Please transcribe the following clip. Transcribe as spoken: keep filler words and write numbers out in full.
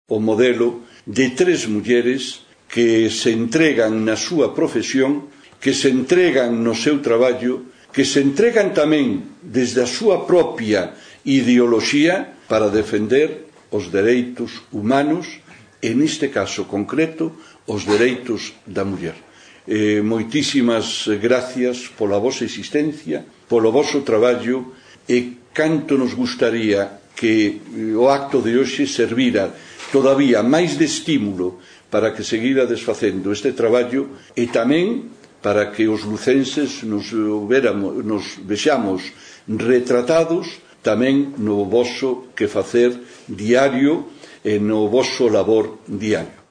o modelo de tres mulleres que se entregan na súa profesión, que se entregan no seu traballo, que se entregan tamén desde a súa propia ideoloxía para defender os dereitos humanos, e neste caso concreto, os dereitos da muller. Eh, moitísimas gracias pola vosa existencia, polo voso traballo, e canto nos gustaría que o acto de hoxe servira todavía máis de estímulo para que seguirades facendo este traballo e tamén para que os lucenses nos, veramos, nos vexamos retratados tamén no voso que facer diario e no voso labor diario.